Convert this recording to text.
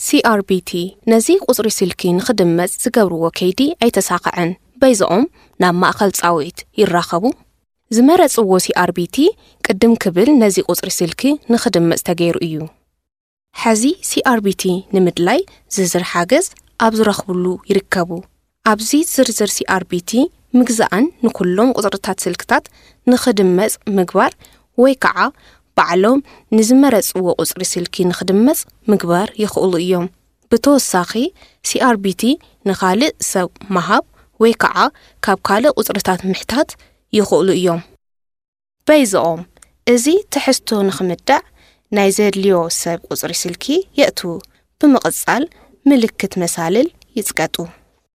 C R B T ነዚ ቁጽሪ ስልኪ ንኽድመጽ ዝገብርዎ ከይዲ ኣይተሳኽዐን። በይዝኦም ናብ ማእከል ጻውዒት ይራኸቡ። ዝመረጽዎ C R B T ቅድም ክብል ነዚ ቁጽሪ ስልኪ ንኽድመጽ ተገይሩ እዩ። ሕዚ C R B T ንምድላይ ዝርዝር ሓገዝ ኣብ ዝረኽብሉ ይርከቡ። ኣብዚ ዝርዝር C R B T ምግዛእን ንኩሎም ቁጽርታት ስልክታት ንኽድመጽ ምግባር ወይ ከዓ ባዕሎም ንዝመረጽዎ ቁጽሪ ስልኪ ንኽድመጽ ምግባር ይኽእሉ እዮም። ብተወሳኺ C R B T ንኻልእ ሰብ ምሃብ ወይ ከዓ ካብ ካልእ ቁጽርታት ምሕታት ይኽእሉ እዮም። በይዝኦም እዚ ትሕዝቶ ንኽምዳዕ ናይ ዘድልዮ ሰብ ቁጽሪ ስልኪ የእትዉ። ብምቕጻል ምልክት መሳልል ይጽቀጡ።